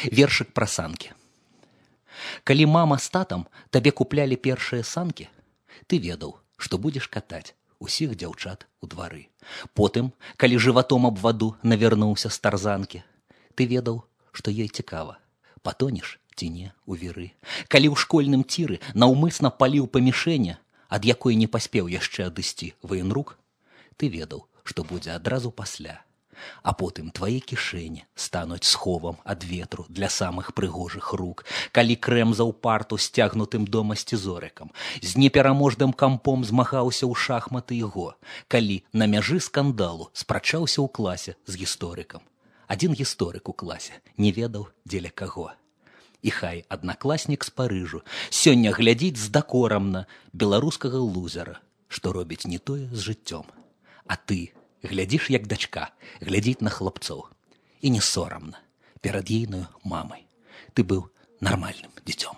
Вершык пра санкі. Калі мама з татам табе куплялі першыя санкі, ты ведаў, што будзеш катаць усіх дзяўчат у двары. Потым, калі жыватом аб ваду навярнуўся з тарзанкі, ты ведаў, што ёй цікава, патонеш ці не у віры. Калі ў школьным ціры наўмысна паліў па мішэне, ад якой не паспеў яшчэ адысці ваенрук, ты ведаў, што будзе адразу пасля. А потым твае кішэні стануць сховам ад ветру для самых прыгожых рук, калі крэмзаў парту сцягнутым дома сцізорыкам, з непераможным кампом змагаўся ў шахматы і го, калі на мяжы скандалу спрачаўся ў класе з гісторыкам. Адзін гісторык у класе не ведаў, дзеля каго. І хай аднакласнік з Парыжу сёння глядзіць з дакорам на беларускага лузера, што робіць не тое з жыццём. А ты глядзіш, як дачка глядзіць на хлапцоў. І не сорамна перад ейнаю мамай. Ты быў нармальным дзіцём.